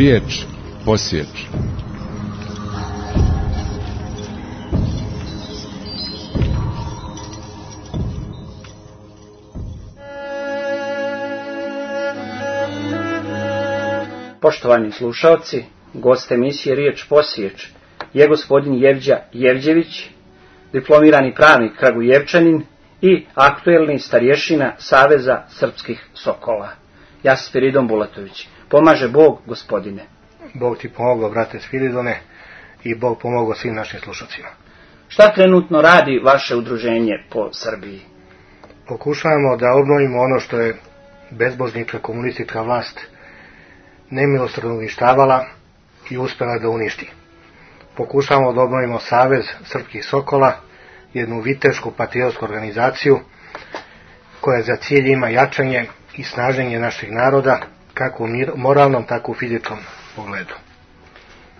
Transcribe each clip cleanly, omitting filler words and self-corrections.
Riječ posjeći. Poštovani slušalci, gost emisije Riječ posjeć je gospodin Jevđa Jevđević, diplomirani pravnik Kragujevčanin i aktuelni starješina Saveza srpskih sokola. Ja sam Spiridon Bulatović. Pomaže Bog, gospodine. Bog ti pomogao, brate Spiridone, i Bog pomogao svim našim slušalcima. Šta trenutno radi vaše udruženje po Srbiji? Pokušavamo da obnovimo ono što je bezbožnička komunistička vlast nemilosrdno uništavala i uspjela da uništi. Pokušavamo da obnovimo Savez srpskih sokola, jednu vitešku patriotsku organizaciju koja za cilj ima jačanje i snaženje našeg naroda, kako u moralnom, tako u fizičkom pogledu.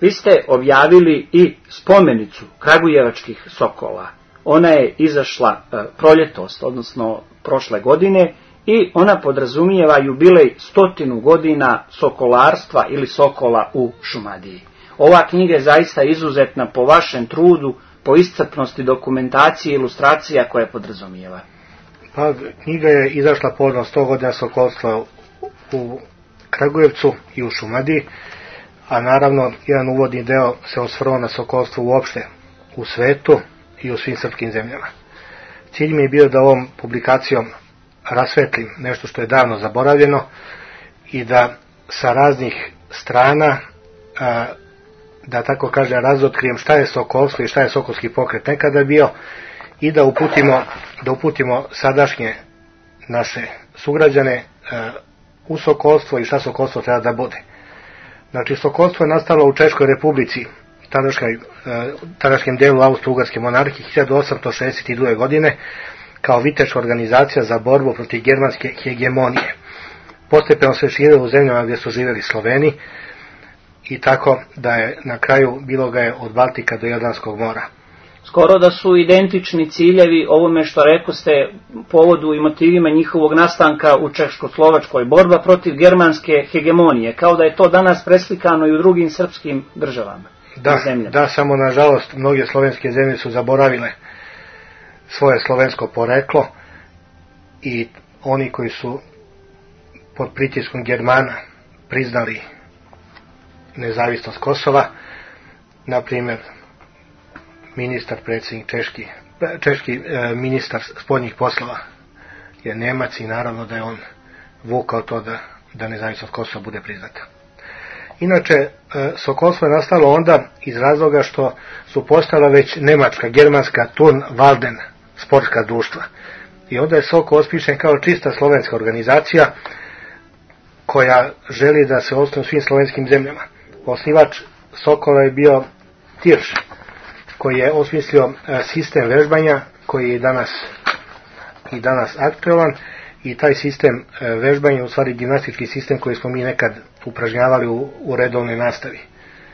Vi ste objavili i spomenicu Kragujevačkih sokola. Ona je izašla proljetos, odnosno prošle godine, i ona podrazumijeva jubilej 100 godina sokolarstva ili sokola u Šumadiji. Ova knjiga je zaista izuzetna po vašem trudu, po iscrpnosti dokumentacije i ilustracija koje podrazumijeva. Pa, knjiga je izašla povodom 100 godina sokolstva u Kragujevcu i u Šumadiji, a naravno jedan uvodni deo se osvrnuo na sokolstvo uopšte u svetu i u svim srpskim zemljama. Cilj mi je bio da ovom publikacijom rasvetlim nešto što je davno zaboravljeno i da sa raznih strana, da tako kažem, razotkrijem šta je sokolstvo i šta je sokolski pokret nekada bio i da uputimo sadašnje naše sugrađane u sokolstvo i šta sokolstvo treba da bude. Znači, sokolstvo je nastalo u Češkoj republici, tadašnjem delu Austro-Ugarske monarhije 1862. godine, kao viteška organizacija za borbu protiv germanske hegemonije. Postepeno se širilo u zemljama gdje su živjeli Sloveni i tako da je na kraju bilo ga je od Baltika do Jadranskog mora. Skoro da su identični ciljevi ovome što rekoste povodu i motivima njihovog nastanka u Češko-Slovačkoj, borba protiv germanske hegemonije, kao da je to danas preslikano i u drugim srpskim državama. Da, samo nažalost mnoge slovenske zemlje su zaboravile svoje slovensko poreklo i oni koji su pod pritiskom Germana priznali nezavisnost Kosova, na primjer češki ministar spoljnih poslova je Nemac i naravno da je on vukao to da nezavisnost Kosova bude priznata. Inače, sokolstvo je nastalo onda iz razloga što su postala već nemačka, germanska Turn Walden sportska društva. I onda je Sokol ospišen kao čista slovenska organizacija koja želi da se osnuje u svim slovenskim zemljama. Osnivač Sokola je bio Tirš, koji je osmislio sistem vežbanja koji je i danas aktualan, i taj sistem vežbanja je u stvari gimnastički sistem koji smo mi nekad upražnjavali u redovnoj nastavi.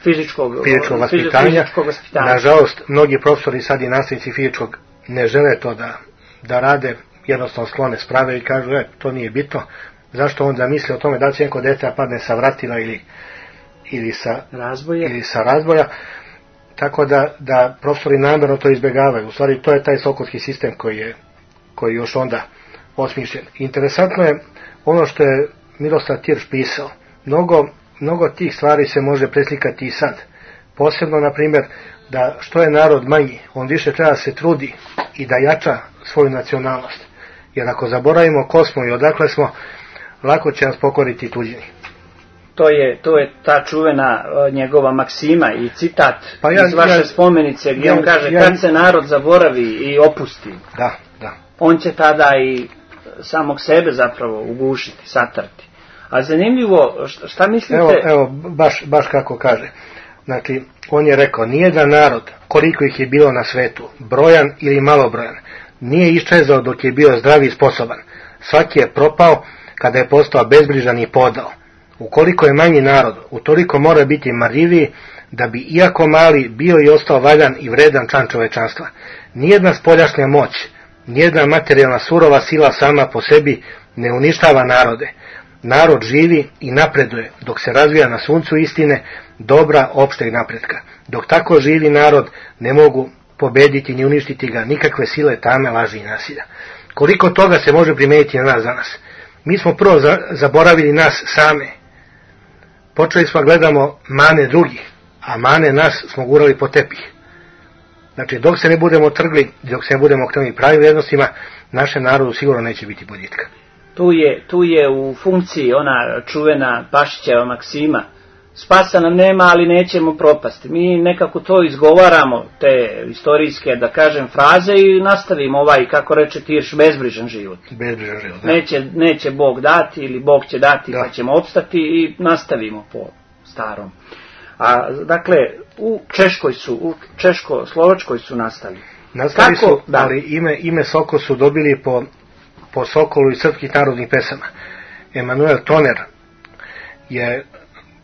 Fizičkog vaspitanja. Nažalost, mnogi profesori sad i nastavnici fizičkog ne žele to da rade, jednostavno sklone sprave i kažu, to nije bitno. Zašto onda misli o tome da će neko dete padne sa vratila ili sa razboja. Tako da profesori namjerno to izbjegavaju. U stvari, to je taj sokolski sistem koji je još onda osmišljen. Interesantno je ono što je Miroslav Tirš pisao. Mnogo tih stvari se može preslikati i sad. Posebno, na primjer, da što je narod manji, on više treba da se trudi i da jača svoju nacionalnost. Jer ako zaboravimo ko smo i odakle smo, lako će nas pokoriti tuđini. To je ta čuvena njegova maksima i citat iz vaše spomenice gdje on kaže kad se narod zaboravi i opusti, da. On će tada i samog sebe zapravo ugušiti, satrati. A zanimljivo, šta mislite? Evo baš kako kaže. Znači, on je rekao, nijedan narod, koliko ih je bilo na svetu, brojan ili malobrojan, nije iščezao dok je bio zdrav i sposoban. Svaki je propao kada je postao bezbrižan i podao. Ukoliko je manji narod, utoliko mora biti marljiviji, da bi, iako mali, bio i ostao valjan i vredan član čovečanstva. Nijedna spoljašnja moć, nijedna materijalna surova sila sama po sebi ne uništava narode, narod živi i napreduje dok se razvija na suncu istine, dobra, opšteg napretka. Dok tako živi narod, ne mogu pobediti ni uništiti ga nikakve sile, tame, laži i nasilja. Koliko toga se može primetiti na nas danas? Mi smo prvo zaboravili nas same. Počeli smo gledamo mane drugih, a mane nas smo gurali po tepih. Znači, dok se ne budemo trgli, dok se ne budemo okrenuli pravim vrijednostima, našem narodu sigurno neće biti boljitka. Tu je u funkciji ona čuvena Pašićeva maksima. Spasa nam nema, ali nećemo propasti. Mi nekako to izgovaramo, te istorijske, da kažem, fraze i nastavimo kako reče Tirš, bezbrižan život. Bezbrižan život, da. Neće Bog dati ili Bog će dati pa ćemo opstati i nastavimo po starom. A dakle, u Češko-Slovačkoj su nastali. Nastali su, ali ime Sokol su dobili po Sokolu iz srpskih narodnih pesama. Emanuel Toner je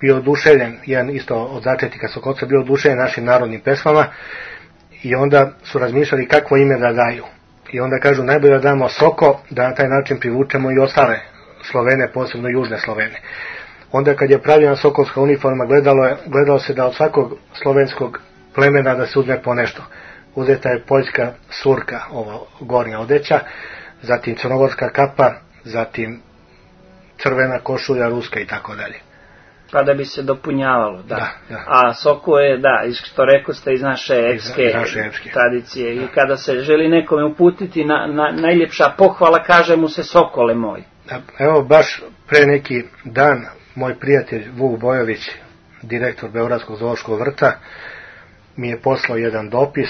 bio oduševljen, jedan isto od začetnika Sokolca, bio oduševljen našim narodnim pesmama i onda su razmišljali kakvo ime da daju. I onda kažu najbolje da damo Soko, da na taj način privučemo i ostale Slovene, posebno južne Slovene. Onda kad je pravljena sokolska uniforma, gledalo se da od svakog slovenskog plemena da se uzme po nešto. Uzeta je poljska surka, ovo gornja odeća, zatim crnogorska kapa, zatim crvena košulja, ruska i tako dalje. Pa da bi se dopunjavalo, da. Da. A Soko je, što rekao ste, iz naše epske tradicije. I kada se želi nekome uputiti najljepša pohvala, kaže mu se Sokole moj. Evo, baš pre neki dan, moj prijatelj Vuk Bojović, direktor Beogradskog zoološkog vrta, mi je poslao jedan dopis,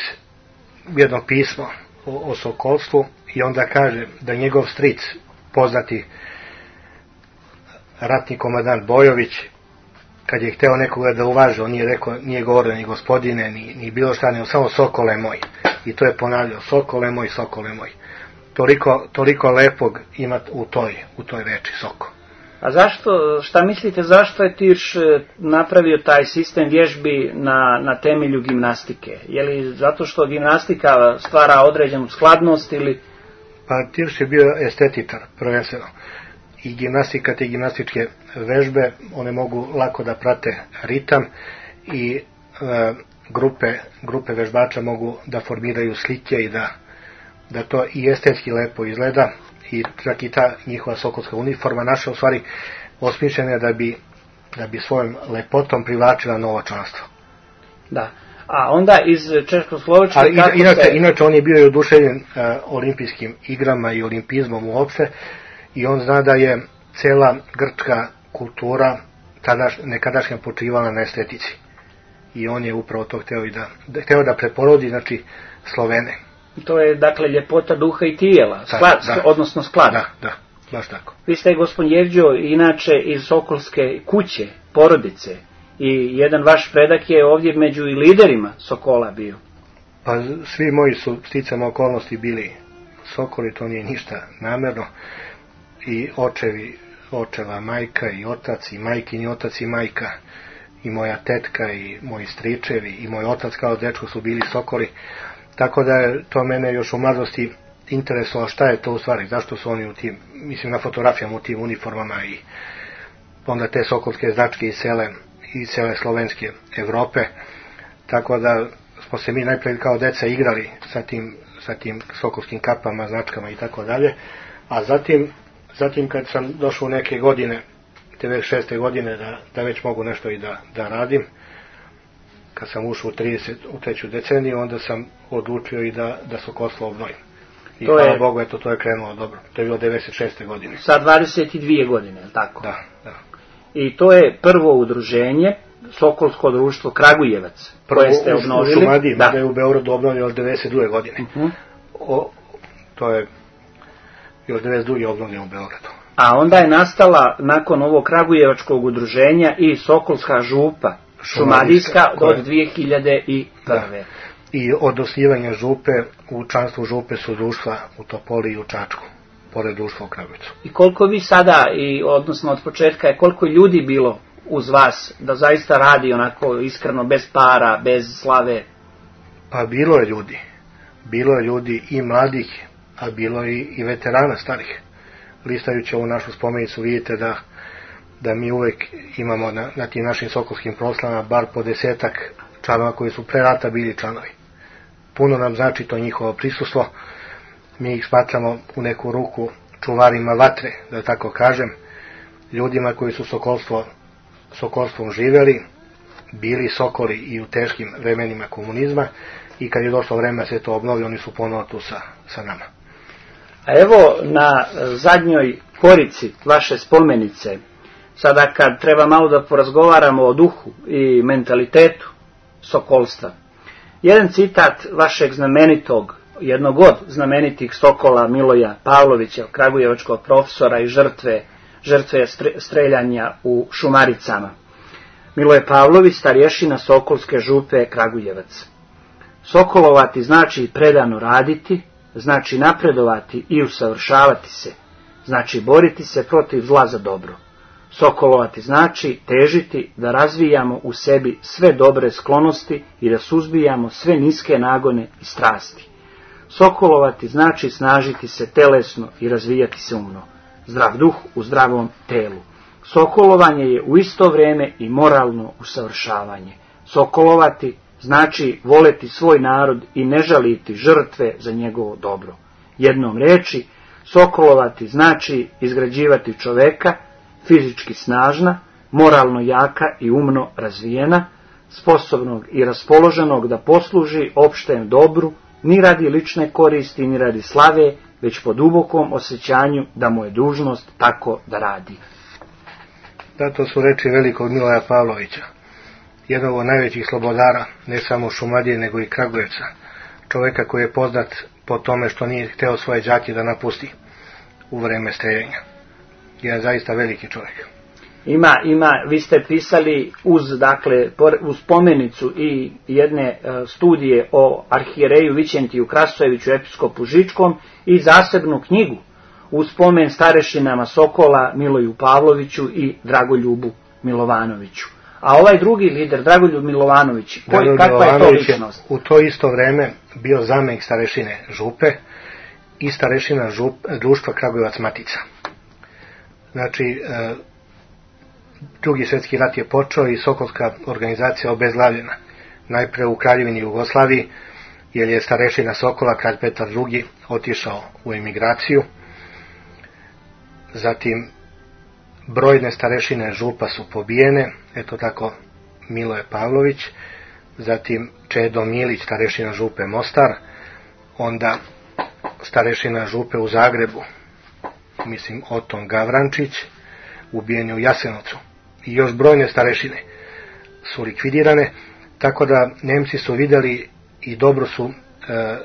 jedno pismo o sokolstvu i onda kaže da njegov stric, poznati ratni komandant Bojović, kad je hteo nekoga da uvaže, on nije rekao, nije govorio ni gospodine, ni bilo šta, nego samo Sokole moj. I to je ponavljao, Sokole moj, Sokole moj. Toliko lepog ima u toj reči Soko. A šta mislite, zašto je Tirš napravio taj sistem vježbi na temelju gimnastike? Je li zato što gimnastika stvara određenu skladnost ili... Pa Tirš je bio estetičar, prvenstveno. I gimnastika, te gimnastičke vežbe, one mogu lako da prate ritam i grupe vežbača mogu da formiraju slike i da to i estetski lepo izgleda. I čak i ta njihova sokolska uniforma naša u stvari osmišljena je da bi svojom lepotom privlačila novo članstvo. Da. A onda iz Češko-Slovačke... Inače on je bio i oduševljen olimpijskim igrama i olimpizmom uopšte i on zna da je cela grčka kultura nekadašnja počivala na estetici. I on je upravo to hteo da preporodi, znači, Slovene. To je, dakle, ljepota duha i tijela, odnosno sklad. Da, baš tako. Vi ste, gospodin Jevđo, inače iz Sokolske kuće, porodice, i jedan vaš predak je ovdje među i liderima Sokola bio. Pa svi moji su sticama okolnosti bili Sokoli, to nije ništa namerno. I očeva majka i otac, i majkin otac i majka, i moja tetka, i moji stričevi, i moj otac kao dečko su bili Sokoli. Tako da je to mene još u mladosti interesovalo šta je to u stvari, zašto su oni u tim, mislim na fotografijama u tim uniformama i onda te sokolske značke iz cele slovenske Evrope. Tako da smo se mi najprije kao deca igrali sa tim sokolskim kapama, značkama i tako dalje, a zatim kad sam došao u neke godine, te već 6. godine da već mogu nešto i da radim, kad sam ušao u 3. deceniju, onda sam odlučio i da sokolstvo obnovim. I hvala Bogu, eto, to je krenulo dobro. To je bilo 96. godine. Sa 22 godine, je li tako? Da. I to je prvo udruženje, Sokolsko društvo Kragujevac, koje ste obnovili. U Šumadiji, da je u Beogradu obnovljeno od 92. godine. To je još 92. obnovljeno u Beogradu. A onda je nastala, nakon ovog Kragujevačkog udruženja, i Sokolska župa, Šumadijska, od 2001. I od osnivanja župe, u članstvu župe su društva u Topoli i u Čačku, pored društva u Kragujevcu. I koliko vi sada, odnosno od početka, je koliko ljudi bilo uz vas da zaista radi onako iskreno, bez para, bez slave? Pa bilo je ljudi i mladih, a bilo je i veterana starih. Listajući ovu našu spomenicu vidite da mi uvek imamo na tim našim sokolskim proslavama bar po 10 članova koji su pre rata bili članovi. Puno nam znači to njihovo prisustvo, mi ih smatramo u neku ruku čuvarima vatre, da tako kažem, ljudima koji su sokolstvom živeli, bili sokoli i u teškim vremenima komunizma i kad je došlo vreme se to obnovi, oni su ponovo tu sa nama. A evo na zadnjoj korici vaše spomenice, sada kad treba malo da porazgovaramo o duhu i mentalitetu sokolstva, jedan citat vašeg znamenitog, jednog od znamenitih sokola Miloja Pavlovića, kragujevačkog profesora i žrtve streljanja u Šumaricama. Miloje Pavlović, starješina Sokolske župe Kragujevac. Sokolovati znači predano raditi, znači napredovati i usavršavati se, znači boriti se protiv zla za dobro. Sokolovati znači težiti da razvijamo u sebi sve dobre sklonosti i da suzbijamo sve niske nagone i strasti. Sokolovati znači snažiti se telesno i razvijati se umno. Zdrav duh u zdravom telu. Sokolovanje je u isto vrijeme i moralno usavršavanje. Sokolovati znači voleti svoj narod i ne žaliti žrtve za njegovo dobro. Jednom reči, sokolovati znači izgrađivati čoveka, fizički snažna, moralno jaka i umno razvijena, sposobnog i raspoloženog da posluži opštem dobru, ni radi lične koristi, ni radi slave, već po dubokom osjećanju da mu je dužnost tako da radi. Da, to su reči velikog Miloja Pavlovića, jednog od najvećih slobodara, ne samo Šumadije, nego i Kragujevca, čoveka koji je poznat po tome što nije hteo svoje đake da napusti u vreme streljenja. Je zaista veliki čovjek. Vi ste pisali uz spomenicu i jedne studije o arhijereju Vićentiju Krasojeviću, episkopu Žičkom, i zasebnu knjigu uz spomen starešinama Sokola Miloju Pavloviću i Dragoljubu Milovanoviću. A ovaj drugi lider, Dragoljub Milovanović, kakva je to ličnost? U to isto vreme bio zamenik starešine župe i starešina društva Kragujevac Matica. Znači, Drugi svjetski rat je počeo i Sokolska organizacija obezglavljena. Najpre u Kraljevini Jugoslaviji, jer je starešina Sokola, kralj Petar II, otišao u emigraciju. Zatim, brojne starešine župa su pobijene, eto tako Miloje Pavlović, zatim Čedo Milić, starešina župe Mostar, onda starešina župe u Zagrebu, Oton Gavrančić, ubijen je u Jasenovcu. I još brojne starešine su likvidirane, tako da Nemci su vidjeli i dobro su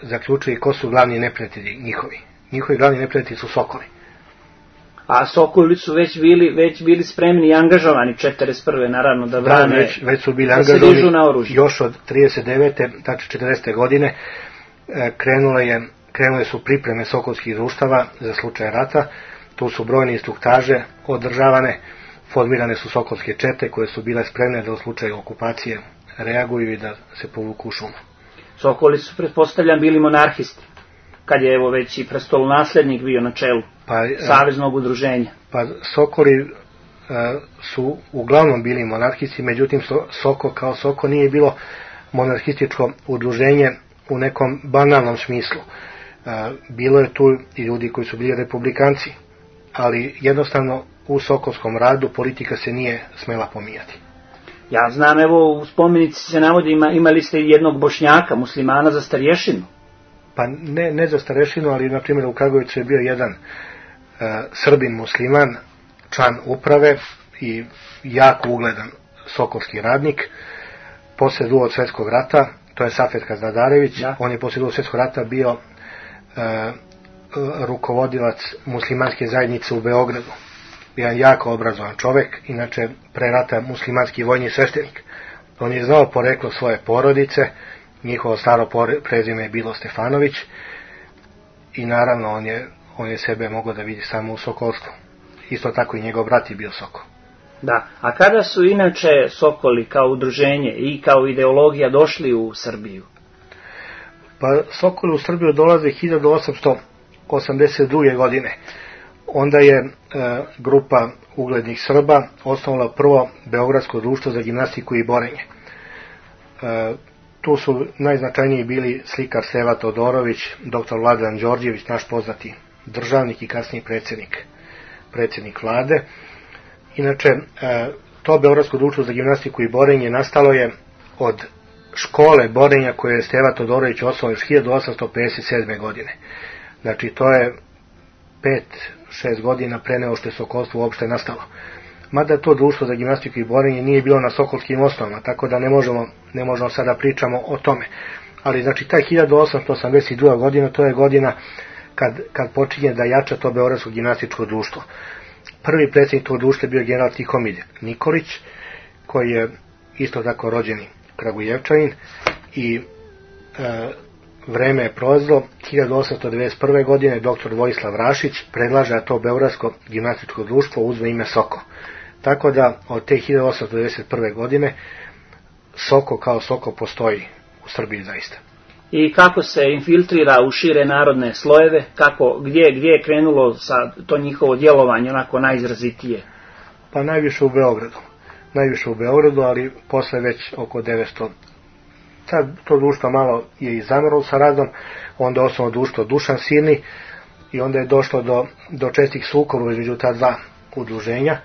zaključili ko su glavni neprijatelji njihovi. Njihovi glavni neprijatelji su Sokoli. A Sokoli su već bili spremni i angažovani 41. naravno da brane, već su bili angažovani na oružje. Još od 39. tačno 40. godine krenule su pripreme sokolskih društava za slučaj rata. Tu su brojne instruktaže održavane, formirane su sokolske čete koje su bile spremne da u slučaju okupacije reaguju i da se povuku u šumu. Sokoli su, pretpostavljam, bili monarhisti, kad je već i prestolonaslednik bio na čelu saveznog udruženja. Pa Sokoli su uglavnom bili monarhisti, međutim Soko kao Soko nije bilo monarhističko udruženje u nekom banalnom smislu. Bilo je tu i ljudi koji su bili republikanci, ali jednostavno u sokolskom radu politika se nije smela pomijati. Ja znam, u spomenici se navodi, imali ste jednog Bošnjaka, muslimana, za starješinu. Pa ne za starješinu, ali na primjer u Kragujevcu je bio jedan Srbin musliman, član uprave i jako ugledan sokolski radnik. Poslije Drugog svjetskog rata, to je Safet Kaznadarević, on je poslije Drugog svjetskog rata bio rukovodilac muslimanske zajednice u Beogradu. Jedan jako obrazovan čovjek, inače pre rata muslimanski vojni sveštenik. On je znao poreklo svoje porodice, njihovo staro prezime je bilo Stefanović i naravno on je sebe mogao da vidi samo u sokolstvu. Isto tako i njegov brat je bio Sokol. Da, a kada su inače Sokoli kao udruženje i kao ideologija došli u Srbiju? Pa Sokoli u Srbiju dolaze 1882. godine. Onda je grupa uglednih Srba osnovala prvo Beogradsko društvo za gimnastiku i borenje. Tu su najznačajniji bili slikar Seva Todorović, dr. Vladan Đorđević, naš poznati državnik i kasniji predsjednik vlade. Inače, to Beogradsko društvo za gimnastiku i borenje nastalo je od škole borenja koje je Steva Todorović osnovao još 1857. godine. Znači, to je 5-6 godina pre nego što je sokolstvo uopšte nastalo. Mada to društvo za gimnastiku i borenje nije bilo na sokolskim osnovama, tako da ne možemo sada pričamo o tome. Ali znači taj 1882. godina, to je godina kad počinje da jača to Beogradsko gimnastičko društvo. Prvi predsjednik tog društva je bio general Tihomir Nikolić, koji je isto tako rođeni Kragujevčanin, i vreme je prolazilo. 1891. godine dr. Vojislav Rašić predlaže da to Beogradsko gimnastičko društvo uzme ime Soko. Tako da od te 1891. godine Soko kao Soko postoji u Srbiji zaista. I kako se infiltrira u šire narodne slojeve, gdje je krenulo sa to njihovo djelovanje onako najizrazitije? Pa najviše u Beogradu, ali posle već oko 900. Sad to društvo malo je i zamrlo sa radom, onda osnovno društvo Dušan Silni i onda je došlo do čestih sukoba između ta dva udruženja.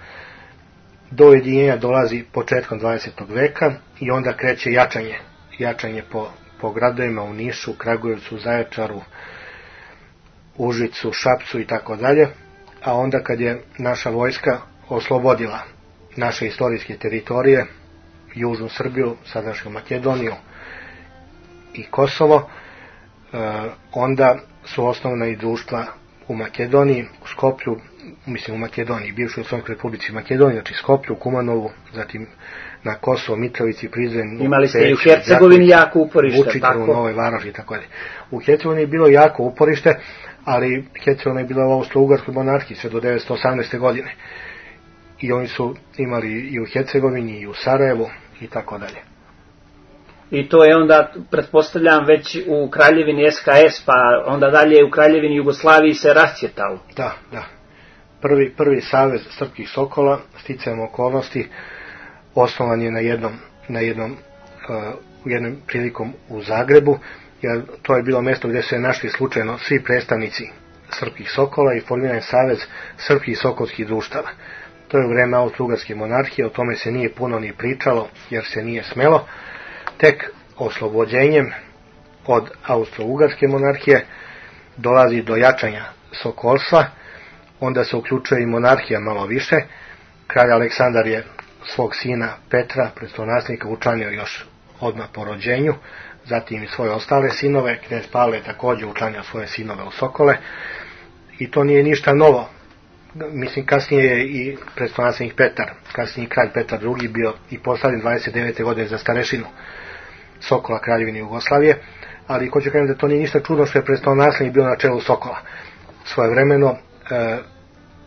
Do ujedinjenja dolazi početkom 20. veka i onda kreće jačanje po gradovima u Nišu, Kragujevcu, Zaječaru, Užicu, Šapcu i tako dalje. A onda kad je naša vojska oslobodila naše istorijske teritorije, južnu Srbiju, sadašnju Makedoniju i Kosovo, onda su osnovna i društva u Makedoniji, u Skoplju, u Makedoniji, bivšoj Slovenskoj Republici Makedoniji, znači Skoplju, Kumanovu, zatim na Kosovo, Mitrovici, Prizren, imali ste i u Hercegovini jako uporište, Vučiću, u Novoj Varoši i tako dalje. U Hercegovini je bilo jako uporište, ali Hercegovina je bila u Austro-Ugarskoj monarhiji sve do 1918. godine. I oni su imali i u Hercegovini, i u Sarajevu i tako dalje. I to je onda, pretpostavljam, već u Kraljevini SHS, pa onda dalje u Kraljevini Jugoslaviji se rascvjetao. Da. Prvi savez srpskih sokola, sticajem okolnosti, osnovan je u jednom prilikom u Zagrebu, jer to je bilo mjesto gdje su se našli slučajno svi predstavnici srpskih sokola i formiran je savez srpskih sokolskih društava. To je u vreme Austro-Ugarske monarhije, o tome se nije puno ni pričalo, jer se nije smelo. Tek oslobođenjem od Austro-Ugarske monarhije dolazi do jačanja sokolstva, onda se uključuje i monarhija malo više. Kralj Aleksandar je svog sina Petra, prestolonaslednika, učlanio još odmah po rođenju, zatim i svoje ostale sinove. Knez Pavle je također učlanio svoje sinove u Sokole i to nije ništa novo. Mislim, kasnije je i prestolonaslednik Petar, kasnije kralj Petar II bio i postavljen 29. godine za starešinu Sokola Kraljevine Jugoslavije, ali hoću kažem da to nije ništa čudno što je prestolonaslednik bio na čelu Sokola. Svojevremeno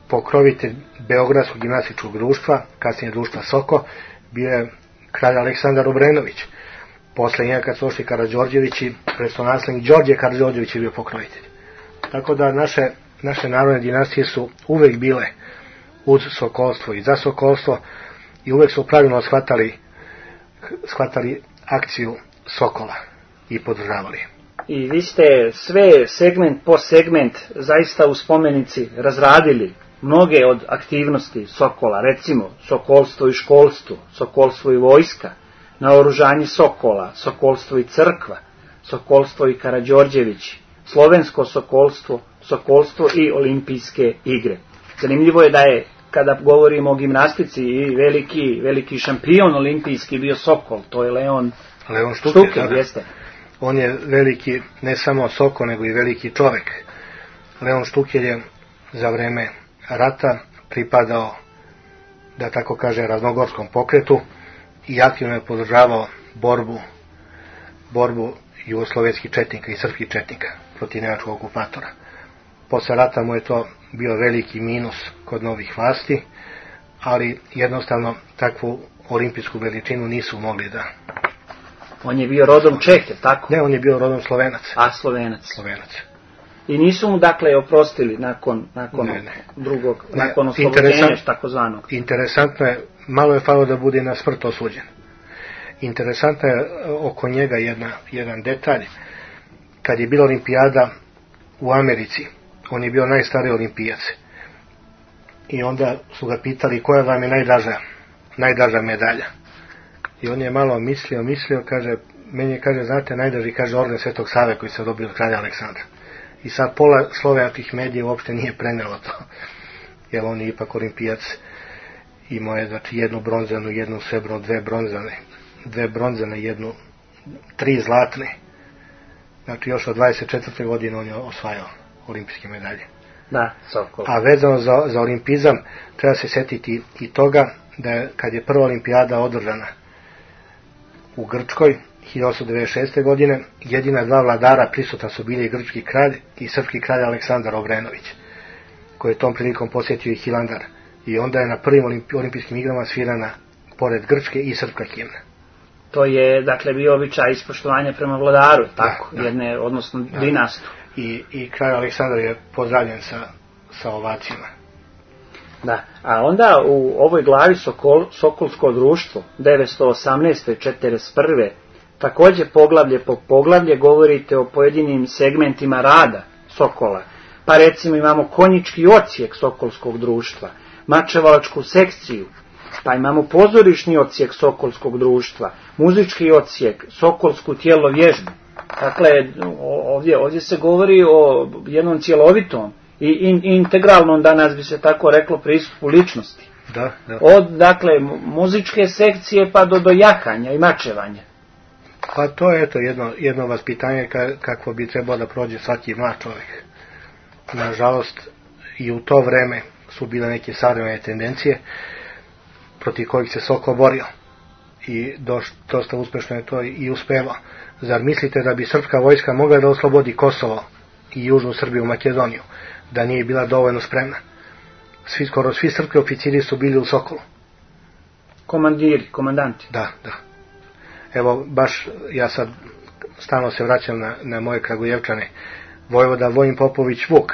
pokrovitelj Beogradskog gimnastičkog društva, kasnije društva Soko, bio je kralj Aleksandar Obrenović. Posle njega kad su ošli Karađorđevići, prestolonaslednik Đorđe Karađorđević je bio pokrovitelj. Tako da naše narodne dinastije su uvek bile uz sokolstvo i za sokolstvo i uvek su pravilno shvatali akciju Sokola i podržavali. I vi ste sve segment po segment zaista u spomenici razradili mnoge od aktivnosti Sokola, recimo sokolstvo i školstvo, sokolstvo i vojska, naoružanje Sokola, sokolstvo i crkva, sokolstvo i Karađorđevići, slovensko sokolstvo i olimpijske igre. Zanimljivo je da je, kada govorimo o gimnastici, i veliki šampion olimpijski bio Sokol, to je Leon Štuker, jeste. On je veliki, ne samo Sokol, nego i veliki čovjek. Leon Štuker je za vreme rata pripadao, da tako kaže, raznogorskom pokretu i aktivno je podržavao borbu jugoslovenskih četnika i srpskih četnika protiv nemačkog okupatora. Posle rata mu je to bio veliki minus kod novih vlasti, ali jednostavno takvu olimpijsku veličinu nisu mogli da... On je bio rodom Čeh, tako? Ne, on je bio rodom Slovenac. A, Slovenac. I nisu mu dakle oprostili nakon drugog, nakon oslobođenja takozvanog. Interesantno je, malo je falo da bude na smrt osuđen. Interesantno je oko njega jedan detalj. Kad je bila olimpijada u Americi, on je bio najstariji olimpijac. I onda su ga pitali koja vam je najdraža medalja. I on je malo mislio, kaže, meni je, kaže, znate, najdraži, kaže, orden Svetog Save koji se dobio od kralja Aleksandra. I sad pola slovenskih medija uopšte nije prenelo to. Jer on je ipak olimpijac. Imao je, znači, jednu bronzanu, jednu srebrnu, dve bronzane, tri zlatne. Znači, još od 24. godine on je osvajao olimpijske medalje. Da, Sokol. A vezano za olimpizam, treba se setiti i toga da je, kad je prva olimpijada održana u Grčkoj 1896. godine, jedina dva vladara prisutna su bili grčki kralj i srpski kralj Aleksandar Obrenović, koji je tom prilikom posjetio i Hilandar. I onda je na prvim olimpijskim igrama svirana pored grčke i srpska himna. To je, dakle, bio običaj ispoštovanja prema vladaru, tako, jedne, odnosno dinastu. I kralj Aleksandar je pozdravljen sa ovacijama. Da, a onda u ovoj glavi Sokolsko društvo 918. i 41. također poglavlje po poglavlje govorite o pojedinim segmentima rada Sokola. Pa recimo imamo konjički odsjek Sokolskog društva, mačevalačku sekciju, pa imamo pozorišni odsjek Sokolskog društva, muzički odsjek, Sokolsku tjelovježbu. Dakle, ovdje se govori o jednom cjelovitom i integralnom, danas bi se tako reklo, pristupu ličnosti. Da. Od, dakle, muzičke sekcije pa do jahanja i mačevanja. Pa to je jedno vaspitanje kako bi trebalo da prođe svaki mlad čovjek. Nažalost, i u to vreme su bile neke savremene tendencije protiv kojih se Sokol borio. I dosta uspešno je to i uspevao. Zar mislite da bi srpska vojska mogla da oslobodi Kosovo i južnu Srbiju, Makedoniju, da nije bila dovoljno spremna? Skoro svi srpski oficiri su bili u Sokolu. Komandanti. Da. Evo, baš ja sad stalno se vraćam na moje Kragujevčane. Vojvoda Vojin Popović Vuk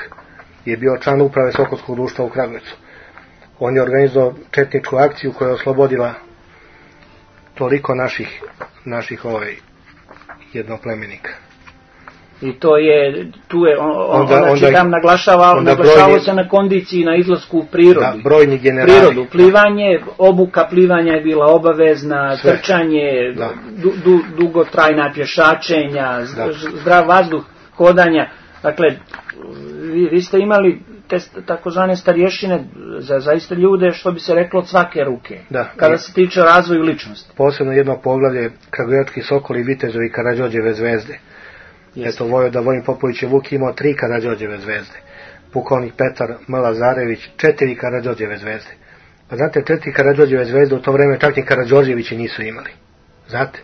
je bio član uprave Sokolskog društva u Kragujevcu. On je organizovao četničku akciju koja je oslobodila toliko naših jednoplemenika. I tu je tam naglašavao se na kondiciji, na izlasku u prirodu. Da, brojni generali. Prirodu, plivanje, obuka plivanja je bila obavezna, sve. Trčanje, dugotrajna pješačenja, zdrav vazduh, hodanja. Dakle, vi ste imali te takozvane starješine za zaista ljude, što bi se reklo, od svake ruke. Da, kada se tiče razvoju ličnosti. Posebno jedno poglavlje Kragujevački Sokoli, Vitezovi Karađorđeve zvezde. Eto, Vojvoda Vojin Popović je Vuk imao 3 Karađorđeve zvezde. Pukovnik Petar M. Lazarević 4 Karađorđeve zvezde. Pa znate, 4 Karađorđeve zvezde u to vreme čak ni Karađorđevići nisu imali. Znate?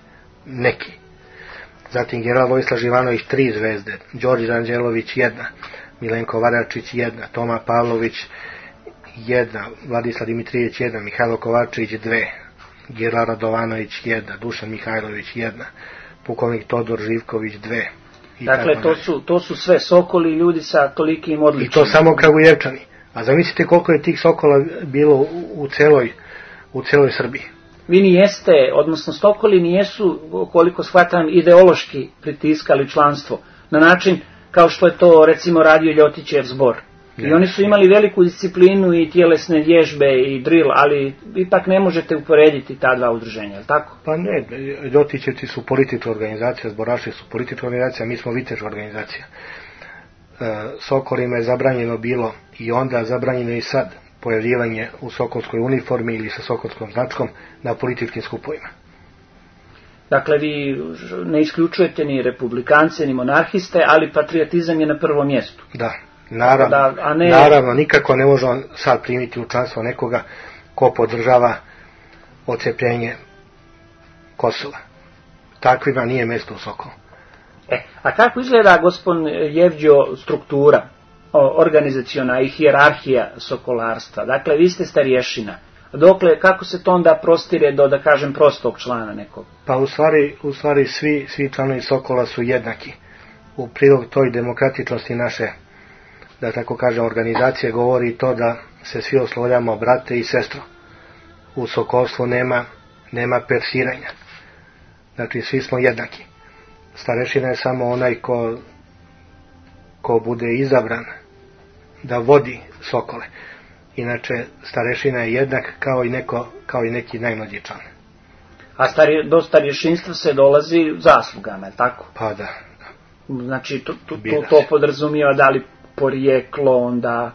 Neki. Zatim general Vojislav Živanović 3 zvezde, Đorđe Anđelović 1, Milenko Varačić 1, Toma Pavlović 1, Vladislav Dimitrijević 1, Mihajlo Kovačević 2, Gerla Radovanović 1, Dušan Mihajlović 1, pukovnik Todor Živković 2. Dakle, to su sve Sokoli, ljudi sa tolikim odličnim. I to samo Kragujevčani. A zamislite koliko je tih Sokola bilo u celoj Srbiji. Vi nijeste, odnosno Sokoli nijesu, koliko shvatam, ideološki pritiskali članstvo, na način kao što je to recimo radio Ljotićev zbor. I oni su imali veliku disciplinu i tjelesne vježbe i drill, ali ipak ne možete uporediti ta dva udruženja, je li tako? Pa ne, Ljotićevci su politička organizacija, zboraši su politička organizacija, mi smo viteška organizacija. Sokolima je zabranjeno bilo i onda zabranjeno i sad pojavljivanje u sokolskoj uniformi ili sa sokolskom značkom na političkim skupovima. Dakle, vi ne isključujete ni republikance, ni monarhiste, ali patriotizam je na prvom mjestu. Da, naravno, nikako ne može on sad primiti u članstvo nekoga ko podržava odcepljenje Kosova. Takvima nije mjesto u Sokolu. A kako izgleda, gospodin Jevđo, struktura organizaciona i hijerarhija sokolarstva? Dakle, vi ste starješina. Dokle, kako se to onda prostire do, da kažem, prostog člana nekog? Pa u stvari svi članovi Sokola su jednaki u prilog toj demokratičnosti naše, da tako kažem, organizacije govori to da se svi oslovljamo brate i sestro. U sokolstvu nema persiranja. Znači svi smo jednaki. Starešina je samo onaj ko bude izabran da vodi sokole. Inače starešina je jednak kao i neki najmlađi član. A do starješinstva se dolazi zaslugama, je tako? Pa da. Znači to podrazumijeva da li porijeklo onda...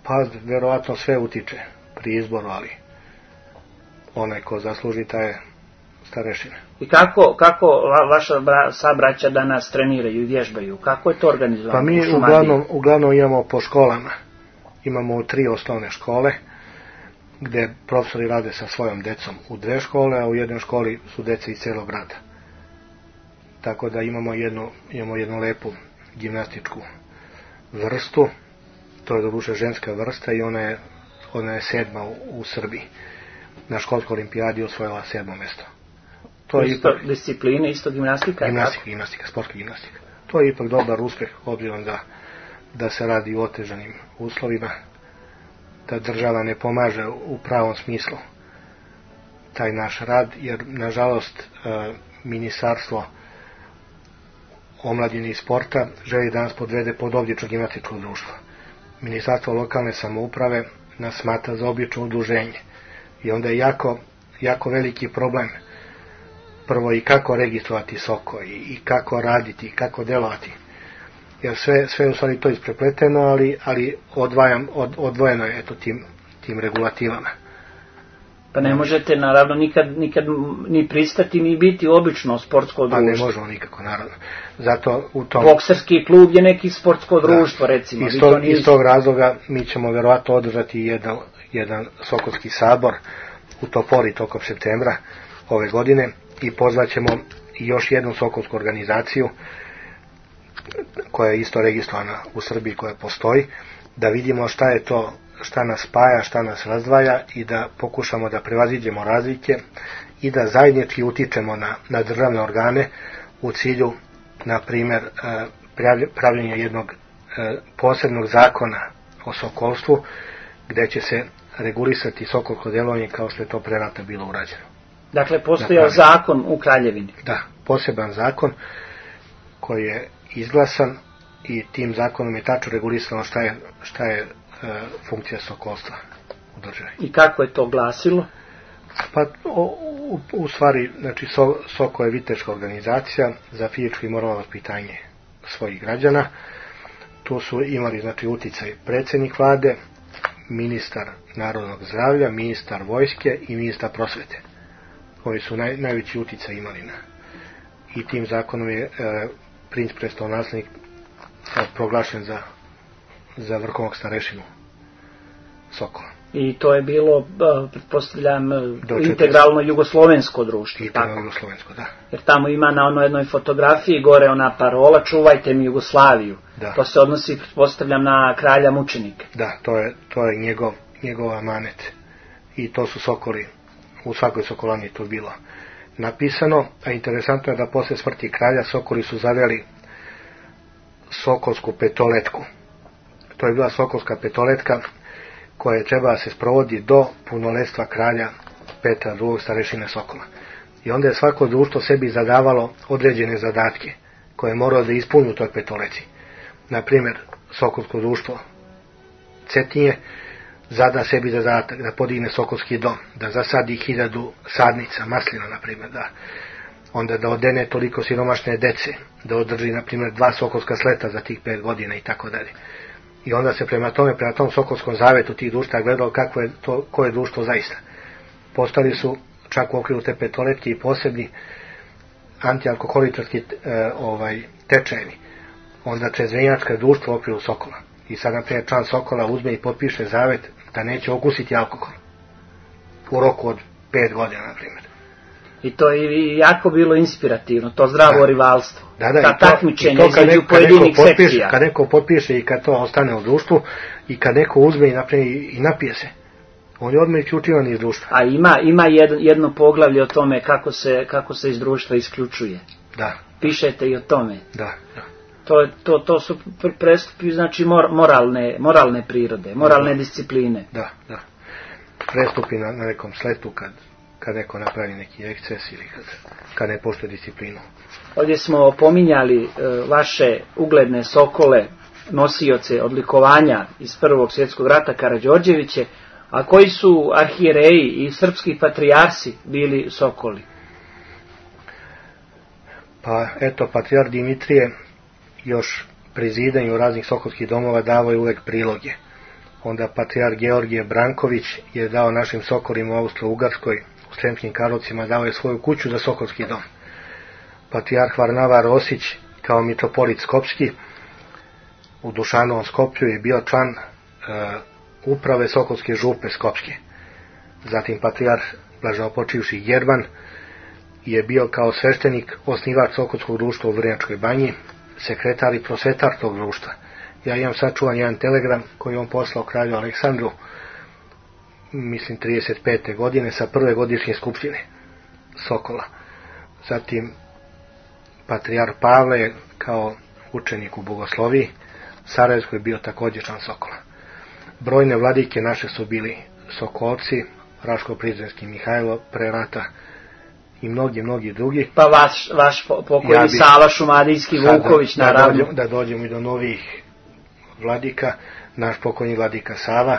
Pa verovatno sve utiče pri izboru, ali onaj ko zasluži taj je starešina. I kako vaša sabraća danas treniraju i vježbaju? Kako je to organizovano? Pa mi uglavnom imamo po školama. Imamo 3 osnovne škole, gde profesori rade sa svojom decom u 2 škole, a u jednoj školi su dece iz cijelog grada. Tako da imamo jednu lepu gimnastičku vrstu, to je doduše ženska vrsta i ona je 7. u Srbiji. Na školskoj olimpijadi osvojila 7. mjesto. To je isto discipline, isto gimnastika? Gimnastika, sportska gimnastika. To je ipak dobar uspjeh, obzirom da se radi u otežanim uslovima, da država ne pomaže u pravom smislu taj naš rad, jer nažalost Ministarstvo omladine i sporta želi da nas podvede pod obično gimnastičko društvo. Ministarstvo lokalne samouprave nas smatra za obično udruženje i onda je jako veliki problem prvo i kako registrovati soko i kako raditi i kako delovati, jer sve je u stvari to isprepleteno, ali odvojeno je tim regulativama. Pa ne možete naravno nikad ni pristati ni biti obično sportsko društvo. Pa ne možemo nikako, naravno. Zato bokserski klub je neki sportsko društvo, recimo. Iz tog razloga mi ćemo verovatno održati jedan sokolski sabor u Topori tokom septembra ove godine i pozvaćemo još jednu sokolsku organizaciju koja je isto registrovana u Srbiji, koja postoji, da vidimo šta je to, šta nas spaja, šta nas razdvaja i da pokušamo da prevaziđemo razlike i da zajednički utičemo na državne organe u cilju, na primjer, pravljenja jednog posebnog zakona o sokolstvu, gdje će se regulisati sokolsko djelovanje kao što je to pre rata bilo urađeno. Dakle, postojao zakon u Kraljevini? Da, poseban zakon koji je izglasan i tim zakonom je tačno regulisano šta je funkcija sokolstva u državi. I kako je to glasilo? Pa u stvari, znači Soko je viteška organizacija za fizičko i moralno vaspitanje svojih građana. Tu su imali znači uticaj predsjednik vlade, ministar narodnog zdravlja, ministar vojske i ministar prosvete. Oni su najveći uticaj imali i tim zakonom je princ prestolonaslednik proglašen za vrhovnog starešinu Sokola. I to je bilo, pretpostavljam, integralno jugoslovensko društvo. Integralno jugoslovensko, da. Jer tamo ima na jednoj fotografiji gore ona parola čuvajte mi Jugoslaviju. Da. To se odnosi, pretpostavljam, na kralja mučenika. Da, to je njegov amanet. I to su sokoli, u svakoj sokolani je to bilo napisano, a interesantno je da posle smrti kralja sokoli su zaveli sokolsku petoletku. To je bila sokolska petoletka koja je trebala se sprovodi do punoletstva kralja Petra II. Starešine Sokola. I onda je svako društvo sebi zadavalo određene zadatke koje je moralo da ispuni u toj petoleci. Naprimjer, Sokolsko društvo Cetinje zada sebi zadatak da podigne Sokolski dom, da zasadi 1000 sadnica, maslina, naprimjer, onda da odene toliko siromašne dece, da održi, naprimjer, 2 sokolska sleta za tih 5 godina i tako dalje. I onda se prema tom Sokolskom zavetu tih društva gledalo koje je društvo zaista. Postali su čak u okviru te petoletke i posebni antialkoholičarski tečajevi. Onda čezvenjačka društvo u okviru Sokola. I sad, naprimjer, član Sokola uzme i potpiše zavet da neće okusiti alkohol. U roku od 5 godina, naprimjer. I to je jako bilo inspirativno, to zdravo rivalstvo. Da, takmičenje između pojedinih sekcija. Kad neko potpiše i kad to ostane u društvu i kad neko uzme i napije se, on je odmah isključivan iz društva. A ima jedno poglavlje o tome kako se iz društva isključuje. Da. Pišete i o tome. Da. To su prestupi, znači moralne prirode, moralne discipline. Da. Prestupi na nekom sletu kad neko napravi neki eksces ili kad ne poštuje disciplinu. Ovdje smo pominjali vaše ugledne sokole, nosioce odlikovanja iz Prvog svjetskog rata Karađorđeviće, a koji su arhijereji i srpski patrijarsi bili sokoli? Pa eto, patrijar Dimitrije još pri zidanju raznih sokolskih domova davao je uvek priloge. Onda patrijar Georgije Branković je dao našim sokolima u Austro-Ugarskoj, u Sremskim Karlovcima, dao je svoju kuću za sokolski dom. Patrijarh Varnava Rosić kao mitropolit Skopski u Dušanovom Skoplju je bio član uprave Sokolske župe Skopske. Zatim patrijarh blaženopočivši Jervan je bio kao sveštenik osnivač Sokolskog društva u Vrnjačkoj banji, sekretar i prosvetar tog društva. Ja imam sačuvan jedan telegram koji on poslao kralju Aleksandru, mislim 35. godine, sa prve godišnje skupštine Sokola. Zatim patrijar Pavle je kao učenik u bogosloviji, Sarajevskoj je bio također član Sokola. Brojne vladike naše su bili Sokolci, Raško-Prizrenski Mihajlo pre rata i mnogi drugi. Pa vaš pokojni Sava Šumadijski Vuković, naravno. Da dođemo i do novih vladika. Naš pokojni vladika Sava,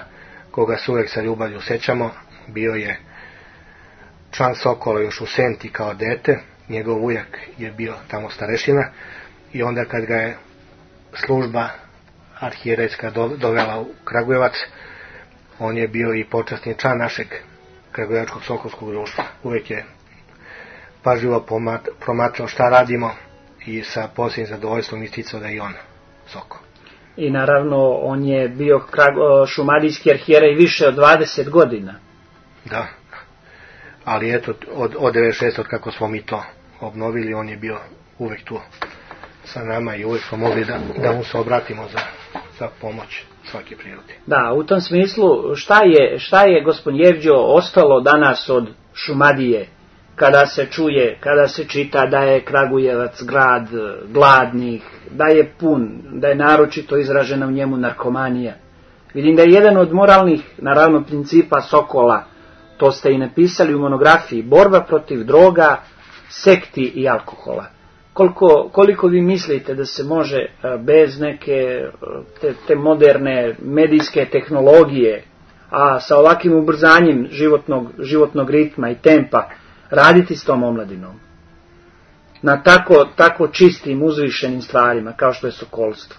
koga se uvek sa ljubavlju sećamo, bio je član Sokola još u Senti kao dete. Njegov ujak je bio tamo starešina i onda kad ga je služba arhijerejska dovela u Kragujevac, on je bio i počasni član našeg Kragujevačkog sokolskog društva. Uvek je pažljivo promatrao šta radimo i sa posebnim zadovoljstvom isticao da je on Sokol. I naravno on je bio šumadijski arhijerej više od 20 godina. Da, ali eto od 96. od kako smo mi to obnovili, on je bio uvek tu sa nama i uvek smo mogli da mu se obratimo za pomoć svake prirode. Da, u tom smislu šta je gospodin Jevđo ostalo danas od Šumadije kada se čuje, kada se čita da je Kragujevac grad gladnih, da je pun, da je naročito izražena u njemu narkomanija. Vidim da je jedan od moralnih, naravno, principa Sokola, to ste i napisali u monografiji, borba protiv droga, sekti i alkohola. Koliko vi mislite da se može bez neke te moderne medijske tehnologije, a sa ovakvim ubrzanjem životnog ritma i tempa, raditi s tom omladinom? Na tako čistim, uzvišenim stvarima, kao što je sokolstvo.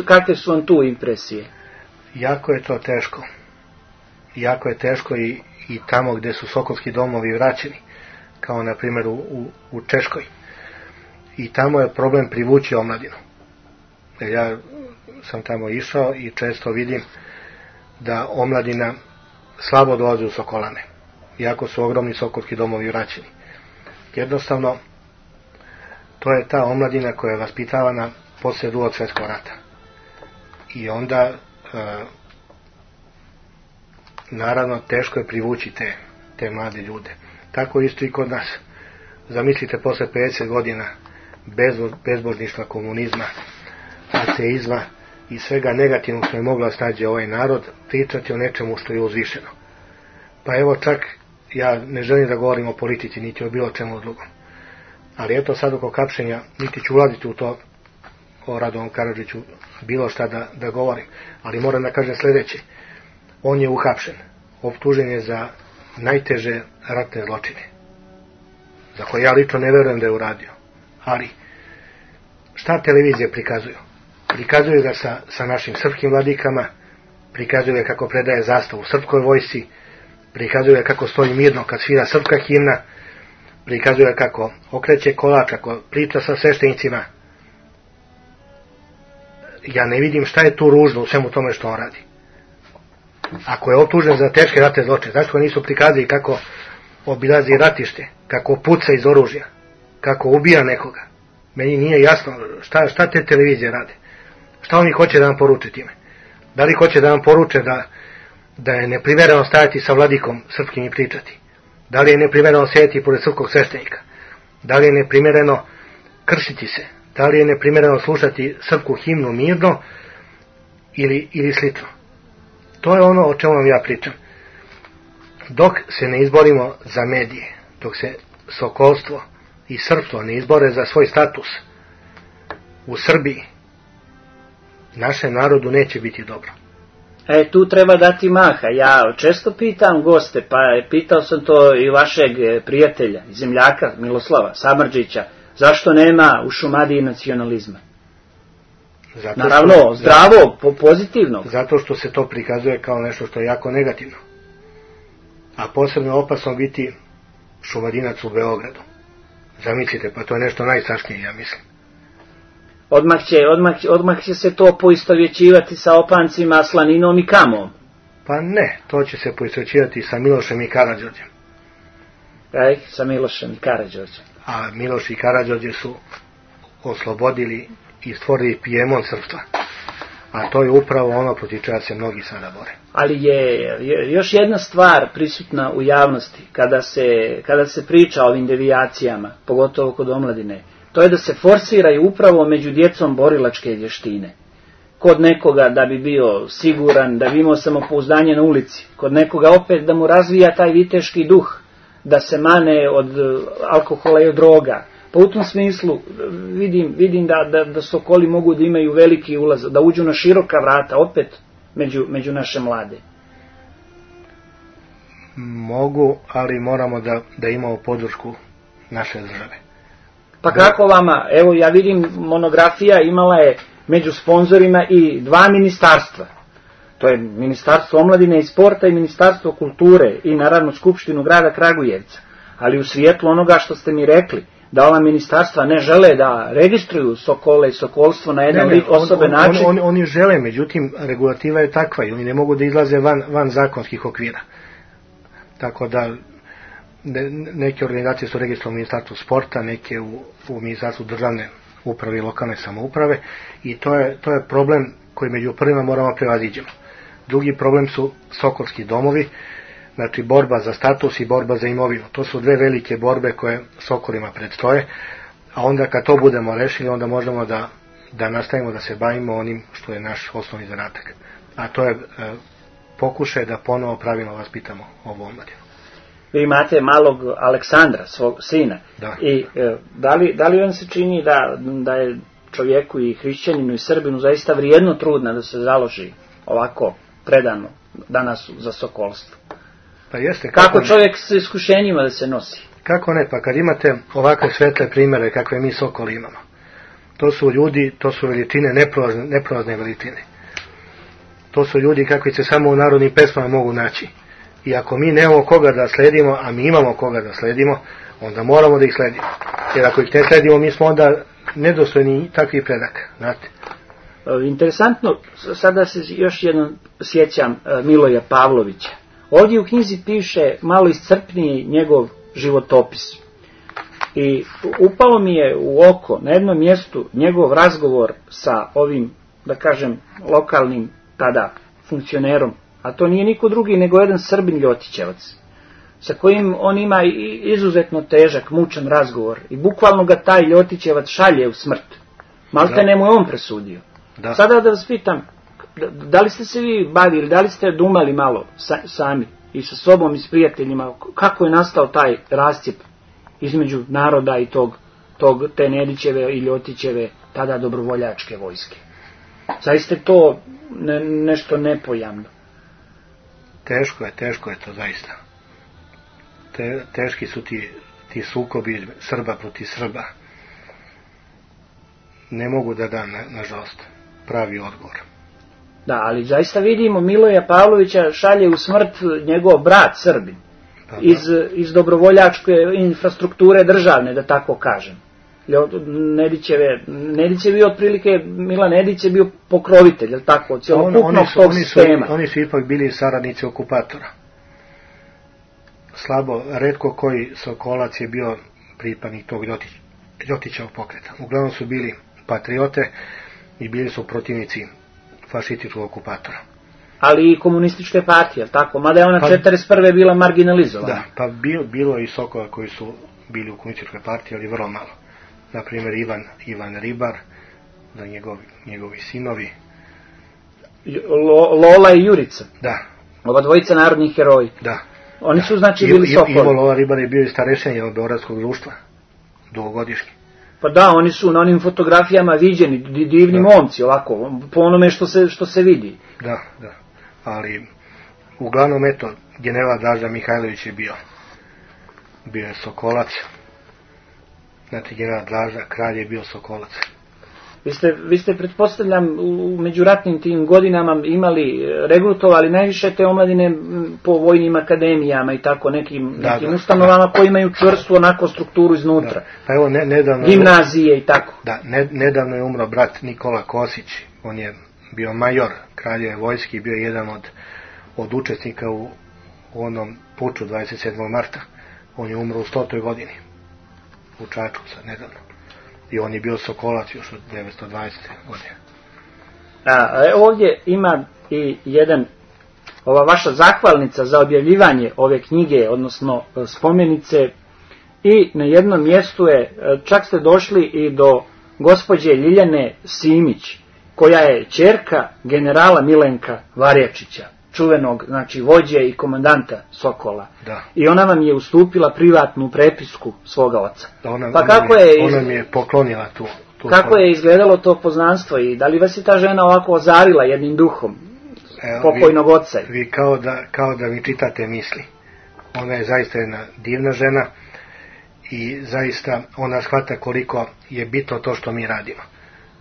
Kakve su vam tu impresije? Jako je to teško. Jako je teško i tamo gdje su sokolski domovi vraćeni, kao na primjer u Češkoj. I tamo je problem privući omladinu. Ja sam tamo išao i često vidim da omladina slabo dolazi u Sokolane, iako su ogromni sokolski domovi vraćeni. Jednostavno, to je ta omladina koja je vaspitavana poslije Drugog svjetskog rata. I onda, naravno, teško je privući te mlade ljude. Tako isto i kod nas. Zamislite, posle 50 godina bezbožništva, komunizma, ateizma i svega negativnog što je mogla snađe ovaj narod, pričati o nečemu što je uzvišeno. Pa evo, čak ja ne želim da govorim o politici, niti o bilo čemu drugom. Ali eto, sad oko kapšenja, niti ću ulaziti u to, o Radovom Karadžiću, bilo šta da govorim. Ali moram da kažem sljedeće. On je uhapšen. Optužen je za najteže ratne zločine, za koje ja lično ne verujem da je uradio. Ali, šta televizije prikazuju? Prikazuju ga sa našim srpskim vladikama, prikazuju ga kako predaje zastavu srpskoj vojsci, prikazuju ga kako stoji mirno kad svira srpska himna, prikazuju ga kako okreće kolač, kako priča sa sveštenicima. Ja ne vidim šta je tu ružno u svemu tome što on radi. Ako je optužen za teške ratne zločine, zašto nisu prikazali kako obilazi ratište, kako puca iz oružja, kako ubija nekoga? Meni nije jasno šta te televizije rade. Šta oni hoće da nam poruče time? Da li hoće da nam poruče da je neprimereno stajati sa vladikom srpskim i pričati? Da li je neprimereno sjediti pored srpskog sveštenika? Da li je neprimereno kršiti se? Da li je neprimjereno slušati srpsku himnu mirno ili slično. To je ono o čemu vam ja pričam. Dok se ne izborimo za medije, dok se sokolstvo i srpstvo ne izbore za svoj status u Srbiji, našem narodu neće biti dobro. Tu treba dati maha. Ja često pitam goste, pa pitao sam to i vašeg prijatelja, zemljaka Miloslava Samardžića, zašto nema u Šumadiji nacionalizma? Naravno, zdravo, pozitivno. Zato što se to prikazuje kao nešto što je jako negativno. A posebno opasno biti Šumadinac u Beogradu. Zamislite, pa to je nešto najstrašnije, ja mislim. Odmah će se to poistovjećivati sa opancima, slaninom i kamom. Pa ne, to će se poistovjećivati sa Milošem i Karađorđem. Sa Milošem i Karađorđem. A Miloš i Karađorđe su oslobodili i stvorili Pijemont srpstva. A to je upravo ono protiv čega se mnogi sada bore. Ali je još jedna stvar prisutna u javnosti, kada se priča o ovim devijacijama, pogotovo kod omladine, to je da se forsiraju upravo među djecom borilačke vještine. Kod nekoga da bi bio siguran, da bi imao samopouzdanje na ulici, kod nekoga opet da mu razvija taj viteški duh, da se mane od alkohola i od droga. Pa u tom smislu vidim da sokoli mogu da imaju veliki ulaz, da uđu na široka vrata opet među naše mlade. Mogu, ali moramo da imamo podršku naše države. Pa kako vama? Evo ja vidim, monografija imala je među sponzorima i 2 ministarstva. To je Ministarstvo omladine i sporta i Ministarstvo kulture i naravno Skupštinu grada Kragujevca. Ali u svijetlu onoga što ste mi rekli, da ova ministarstva ne žele da registruju sokole i sokolstvo na jedan osoben način. Oni žele, međutim regulativa je takva i oni ne mogu da izlaze van zakonskih okvira. Tako da neke organizacije su registrovane u Ministarstvu sporta, neke u Ministarstvu državne uprave i lokalne samouprave i to je problem koji među prvima moramo prevaziđemo. Drugi problem su sokolski domovi, znači borba za status i borba za imovinu. To su 2 velike borbe koje sokolima predstoje, a onda kad to budemo rešili, onda možemo da nastavimo da se bavimo onim što je naš osnovni zadatak. A to je pokušaj da ponovo pravilno vaspitamo ovu omladinu. Vi imate malog Aleksandra, svog sina. Da. I da li vam se čini da je čovjeku i hrišćaninu i Srbinu zaista vrijedno trudna da se založi ovako predano danas za sokolstvo? Pa jeste. Kako čovjek s iskušenjima da se nosi? Kako ne, pa kad imate ovakve svetle primjere kakve mi sokoli imamo, to su ljudi, to su veličine, neprolazne veličine. To su ljudi kakvi se samo u narodnim pesmama mogu naći. I ako mi nemamo koga da sledimo, a mi imamo koga da sledimo, onda moramo da ih sledimo. Jer ako ih ne sledimo, mi smo onda nedostojni takvih predaka. Znate? Interesantno, sada se još jednom sjećam Miloja Pavlovića. Ovdje u knjizi piše malo iscrpniji njegov životopis. I upalo mi je u oko na jednom mjestu njegov razgovor sa ovim, da kažem, lokalnim tada funkcionerom, a to nije niko drugi nego jedan Srbin Ljotićevac, sa kojim on ima izuzetno težak, mučan razgovor i bukvalno ga taj Ljotićevac šalje u smrt. Maltene mu je on presudio. Da. Sada da vas pitam, da li ste se vi bavili, da li ste dumali malo sami i sa sobom i s prijateljima, kako je nastao taj rascjep između naroda i te Nedićeve i Ljotićeve tada dobrovoljačke vojske? Zaista je to nešto nepojamno. Teško je to zaista. Teški su ti sukobi Srba protiv Srba. Ne mogu da dam, nažalost, pravi odgovor. Da, ali zaista vidimo, Miloja Pavlovića šalje u smrt njegov brat Srbin. Iz dobrovoljačke infrastrukture državne, da tako kažem. Nedićevi otprilike, Milan Nedić je bio pokrovitelj, je tako, cjelokupnog tog sistema. Oni su ipak bili saradnici okupatora. Slabo, retko koji sokolac je bio pripadnik tog Ljotićevog pokreta. Uglavnom su bili patriote i bili su protivnici fašističkog okupatora. Ali i komunističke partije, tako? Mada je ona 1941. bila marginalizovana. Da, pa bilo je i sokola koji su bili u komunističkoj partiji, ali vrlo malo. na primjer Ivan Ribar, da njegovi sinovi. Lola i Jurica. Da. Ova dvojica narodnih heroji. Da. Oni su znači bili sokoli. Ivo Lola Ribar je bio i starešen jednog beogradskog društva, dugogodišnji. Pa da, oni su na onim fotografijama viđeni, divni momci, ovako, po onome što se vidi. Da. Ali, uglavnom, eto, general Draža Mihajlović je bio je Sokolac. Znači, general Draža, kralj je bio Sokolac. Vi ste, pretpostavljam, u međuratnim tim godinama regrutovali najviše te omladine po vojnim akademijama i tako nekim ustanovama koji imaju čvrstu onako strukturu iznutra. Da. Pa evo, nedavno... Gimnazije i tako. Da, nedavno je umro brat Nikola Kosić. On je bio major kraljeve vojske i bio jedan od učesnika u onom puču 27. marta. On je umro u 100. godini. U Čačku sad nedavno. I on je bio Sokolac još od 1920. godine. Ovdje ima i ova vaša zahvalnica za objavljivanje ove knjige, odnosno spomenice, i na jednom mjestu čak ste došli i do gospođe Ljiljane Simić, koja je ćerka generala Milenka Varjačića, čuvenog, znači, vođe i komandanta Sokola. Da. I ona vam je ustupila privatnu prepisku svoga oca. Ona mi je poklonila tu. Kako je izgledalo to poznanstvo i da li vas je ta žena ovako ozarila jednim duhom pokojnog oca? Vi kao da vi čitate misli. Ona je zaista jedna divna žena i zaista ona shvata koliko je bitno to što mi radimo.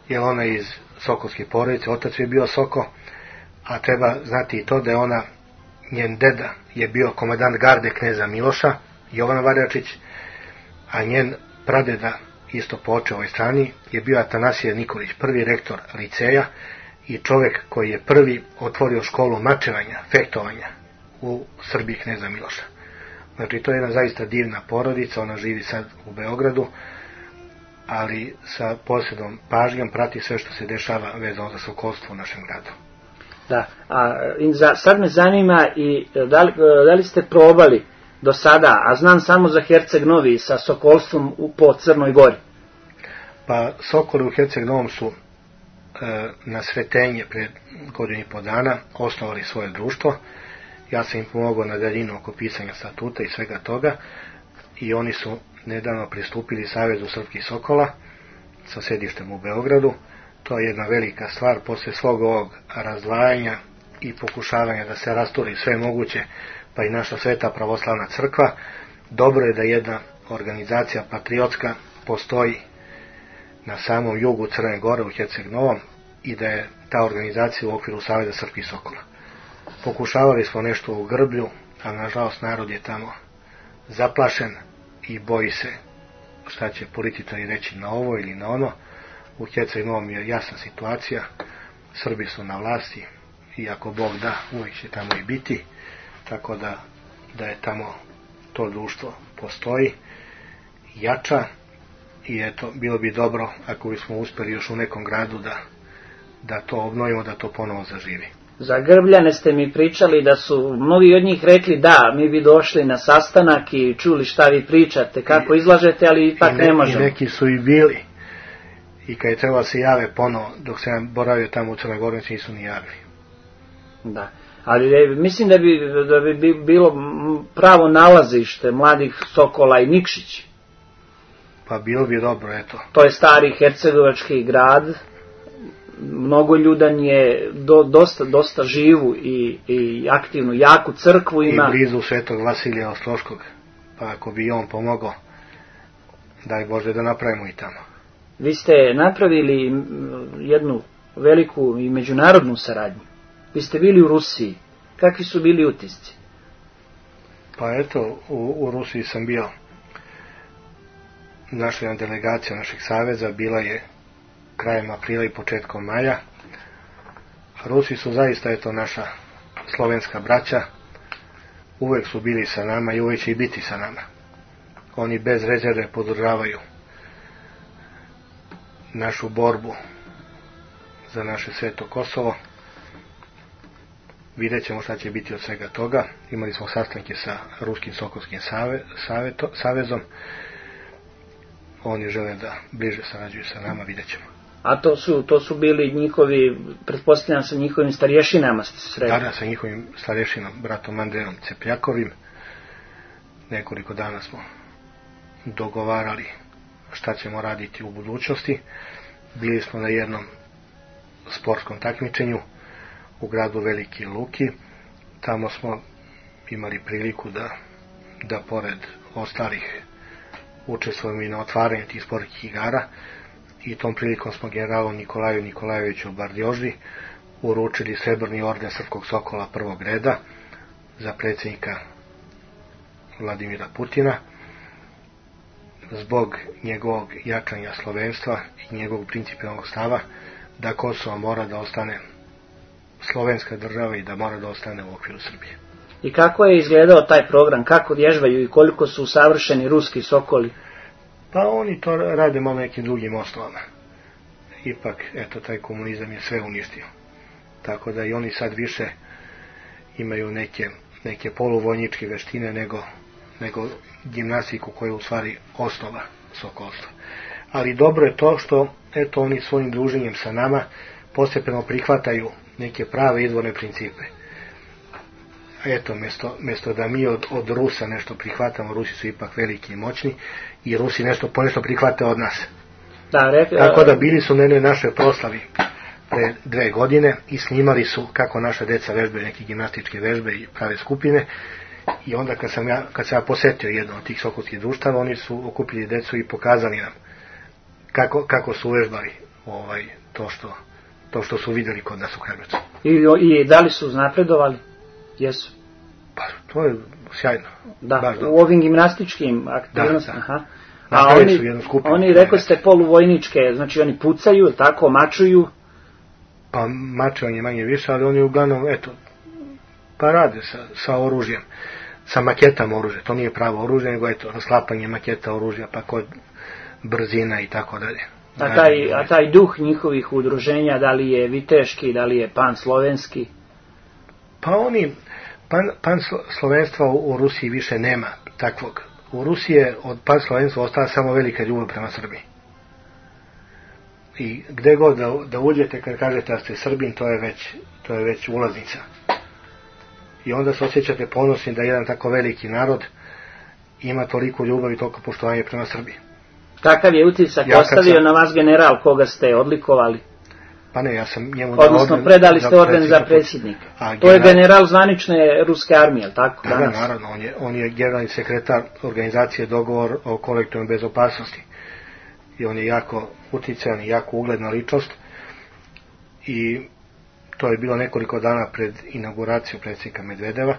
Jer ona je iz sokolske porodice, otac je bio Soko, a treba znati i to da je njen deda je bio komandant garde kneza Miloša, Jovan Varjačić, a njen pradeda, isto po očevoj strani, je bio Atanasije Nikolić, prvi rektor liceja i čovjek koji je prvi otvorio školu mačevanja, fehtovanja u Srbiji kneza Miloša. Znači, to je jedna zaista divna porodica, ona živi sad u Beogradu, ali sa posebnom pažnjom prati sve što se dešava vezano za sokolstvo u našem gradu. Da, sad me zanima i da li ste probali do sada, a znam samo za Herceg Novi, sa sokolstvom po Crnoj Gori? Pa Sokoli u Herceg Novom su na Sretenje pred godinu i po dana osnovali svoje društvo. Ja sam im pomogao na daljinu oko pisanja statuta i svega toga i oni su nedavno pristupili Savezu srpskih Sokola sa sedištem u Beogradu. To je jedna velika stvar, posle svog ovog razdvajanja i pokušavanja da se rasturi sve moguće, pa i naša Sveta pravoslavna crkva. Dobro je da jedna organizacija patriotska postoji na samom jugu Crne Gore u Herceg Novom i da je ta organizacija u okviru Saveza srpskih Sokola. Pokušavali smo nešto u Grblju, a nažalost narod je tamo zaplašen i boji se šta će političari reći na ovo ili na ono. U Herceg Novom je jasna situacija, Srbi su na vlasti i ako Bog da, uvijek će tamo i biti, tako da je tamo to društvo postoji, jača i eto, bilo bi dobro ako bismo uspjeli još u nekom gradu da to obnovimo, da to ponovo zaživi. Za Grbljane ste mi pričali da su mnogi od njih rekli da, mi bi došli na sastanak i čuli šta vi pričate, kako izlažete, ali ipak ne možemo. I neki su i bili. I kad je trebalo se jave ponovo, dok se boravio tamo u Crnoj Gori, nisu ni javili. Da, ali mislim da bi bilo pravo nalazište mladih Sokola i Nikšić. Pa bilo bi dobro, eto. To je stari hercegovački grad, mnogoljudan je, dosta živu i aktivnu, jaku crkvu ima. I blizu Svetog Vasilija Ostroškog, pa ako bi on pomogao, daj Bože da napravimo i tamo. Vi ste napravili jednu veliku i međunarodnu saradnju. Vi ste bili u Rusiji. Kakvi su bili utisci? Pa eto, u Rusiji sam bio. Naša jedna delegacija našeg saveza bila je krajem aprila i početkom maja. Rusi su zaista, eto, naša slovenska braća. Uvijek su bili sa nama i uvijek će i biti sa nama. Oni bez rezerve podržavaju našu borbu za naše sveto Kosovo. Vidjet ćemo šta će biti od svega toga. Imali smo sastanke sa Ruskim Sokolskim savezom. oni žele da bliže sarađuju sa nama, vidjet ćemo. A to su bili njihovi, pretpostavljam sa njihovim starješinama ste se sreli? Da, sa njihovim starješinom, bratom Andrejom Cepljakovim. Nekoliko dana smo dogovarali šta ćemo raditi u budućnosti. Bili smo na jednom sportskom takmičenju u gradu Veliki Luki. Tamo smo imali priliku da pored ostalih učestvujemo i na otvaranju tih sportskih igara, i tom prilikom smo generalu Nikolaju Nikolajeviću Bardjoždi uručili srebrni orden Srpskog Sokola prvog reda za predsjednika Vladimira Putina, zbog njegovog jačanja slovenstva i njegovog principijelnog stava da Kosovo mora da ostane slovenska država i da mora da ostane u okviru Srbije. I kako je izgledao taj program, kako vježbaju i koliko su savršeni ruski sokoli? Pa oni to rade malo nekim drugim osnovama. Ipak, eto, taj komunizam je sve uništio. Tako da i oni sad više imaju neke poluvojničke veštine nego gimnastiku koja je u stvari osnova sokolstva. Ali dobro je to što, eto, oni svojim druženjem sa nama postepeno prihvataju neke prave izvorne principe. Eto, mjesto da mi od Rusa nešto prihvatamo, Rusi su ipak veliki i moćni, i Rusi ponešto prihvate od nas. Tako da bili su na jednoj našoj proslavi pre 2 godine i snimali su kako naša deca vežbaju neke gimnastičke vežbe i prave skupine, i onda kad sam ja posetio jedno od tih sokolskih društava, oni su okupili decu i pokazali nam kako su uvežbali to što su vidjeli kod nas u Kragujevcu. I da li su napredovali? Jesu. Pa, to je sjajno. Da, u ovim gimnastičkim aktivnostima. Da. Aha. A oni rekli ste poluvojničke, znači oni pucaju, tako, mačuju? Pa mačevanje manje više, ali oni uglavnom, eto, pa rade sa oružjem, sa maketama oružja. To nije pravo oružje, nego eto, rasklapanje maketa oružja, pa kod brzina i tako dalje. A taj duh njihovih udruženja, da li je viteški, da li je pan-slovenski? Pa oni, pan-slovenstva u Rusiji više nema takvog. U Rusiji je od pan-slovenstva ostala samo velika ljubav prema Srbiji. I gde god da uđete, kad kažete da ste Srbin, to je već ulaznica. I onda se osjećate ponosni da jedan tako veliki narod ima toliko ljubav i toliko poštovanja prema Srbiji. Kakav je utisak ostavio na vas general koga ste odlikovali? Pa ne, ja sam njemu odnosno predali ste orden za predsjednika. To je general zvanične ruske armije, tako? Da, naravno, on je generalni sekretar organizacije Dogovor o kolektivnoj bezopasnosti. I on je jako uticajan i jako ugledna ličnost. I to je bilo nekoliko dana pred inauguraciju predsjednika Medvedeva,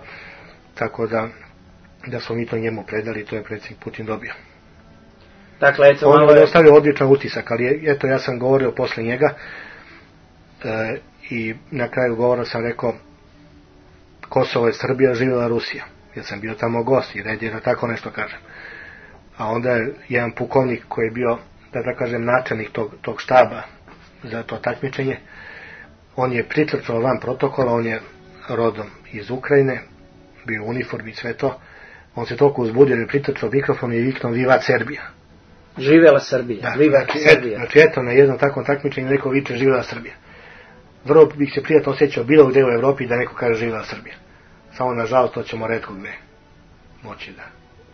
tako da smo mi to njemu predali, to je predsjednik Putin dobio. Dakle, eto, on je ostavio odličan utisak, ali eto, ja sam govorio posle njega, i na kraju govora sam rekao: Kosovo je Srbija, živjela Rusija, jer sam bio tamo gost i red je da tako nešto kažem. A onda je jedan pukovnik koji je bio, da kažem, načelnik tog štaba za to takmičenje, on je pritrčao van protokola, on je rodom iz Ukrajine, bio u uniformi i sve to, on se toliko uzbudio da je pritrčao mikrofon i viknuo: Vivat Serbija. Živjela Srbija. Da, znači eto, na jednom takvom takmičenju neko viče živjela Srbija. Vrlo bih se prijatno osjećao bilo gdje u Evropi da neko kaže živjela Srbija. Samo nažalost to ćemo retko gdje moći da.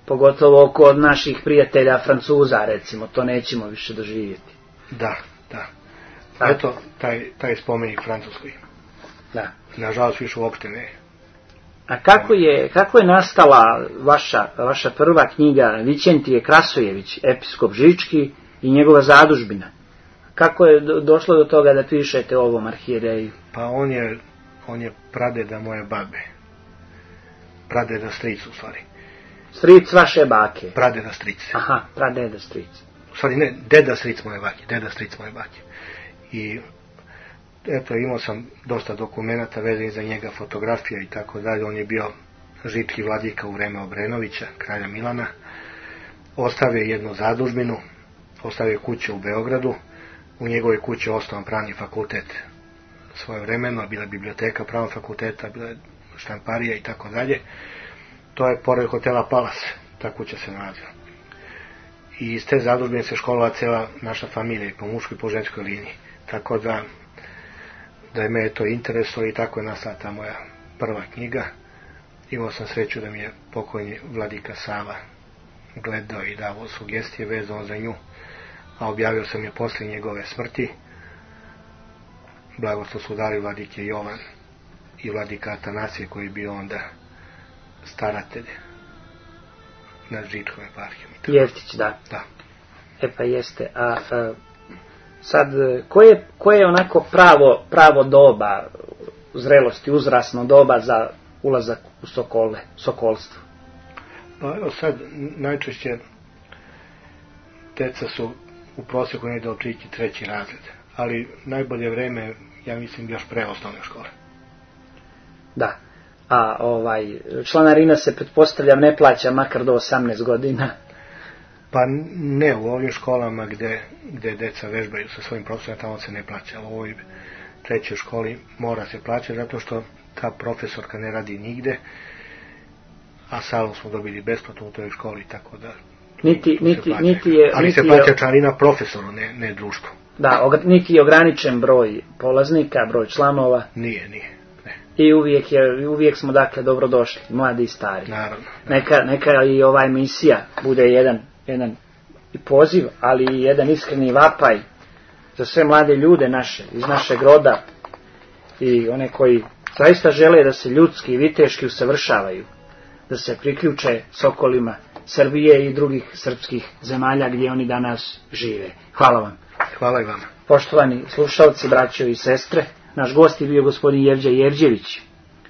Pogotovo kod naših prijatelja Francuza, recimo, to nećemo više doživjeti. Da. Eto, taj spomenik Francuskoj. Da. Nažalost više uopšte ne. A kako je nastala vaša prva knjiga Vićentije Krasojević, episkop Žički i njegova zadužbina? Kako je došlo do toga da pišete o ovom arhijereju? Pa on je pradeda moje babe. Pradeda stric, u stvari. Stric vaše bake? Pradeda stric. Aha, pradeda stric. U stvari ne, deda stric moje bake. I eto, imao sam dosta dokumenata vezanih za njega, fotografija i tako dalje. On je bio žički vladika u vreme Obrenovića, kralja Milana. Ostavio jednu zadužbinu, ostavio kuću u Beogradu. U njegovoj kući osnovan pravni fakultet svojevremeno, bila je biblioteka pravnog fakulteta, bila je štamparija i tako dalje. To je pored hotela Palas, ta kuća se nalazila. i iz te zadužbine se školovala cijela naša familija, po muškoj i po ženskoj liniji. Tako da je me to interesovalo i tako je nastala ta moja prva knjiga. Imao sam sreću da mi je pokojni vladika Sava gledao i davao sugestije vezano za nju, a objavio sam je poslije njegove smrti. Blagoslov su dali vladike Jovan i vladika Atanasije, koji je bio onda staratelj nad Žičkom eparhijom. Jeftić, da. Da. Pa jeste. Sad, koje je onako pravo doba zrelosti, uzrasno doba za ulazak u sokolstvo? Pa evo sad, najčešće deca su u prosjeku negdje od 3. razred, ali najbolje vreme, ja mislim, još pre osnovne škole. Da. A članarina se, pretpostavljam, ne plaća makar do 18 godina? Pa ne, u ovim školama gde deca vežbaju sa svojim profesorima, tamo se ne plaća. U ovoj 3. školi mora se plaćati, zato što ta profesorka ne radi nigde, a salu smo dobili besplatno u toj školi, tako da ali se plaća članarina profesoru, ne društvu. Da, niti je ograničen broj polaznika, broj članova. Nije. I uvijek smo, dakle, dobrodošli, mladi i stari. Naravno. Neka i ova emisija bude jedan i poziv, ali i jedan iskreni vapaj za sve mlade ljude naše, iz našeg roda, i one koji zaista žele da se ljudski i viteški usavršavaju, da se priključe sokolima Srbije i drugih srpskih zemalja gdje oni danas žive. Hvala vam. Hvala i vama. Poštovani slušalci, braćo i sestre, naš gost je bio gospodin Jevđa Jevđević,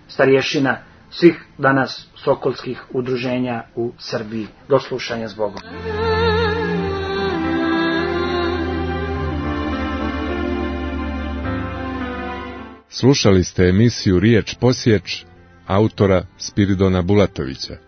starješina svih danas sokolskih udruženja u Srbiji. Do slušanja s Bogom. Slušali ste emisiju Riječ Posječ autora Spiridona Bulatovića.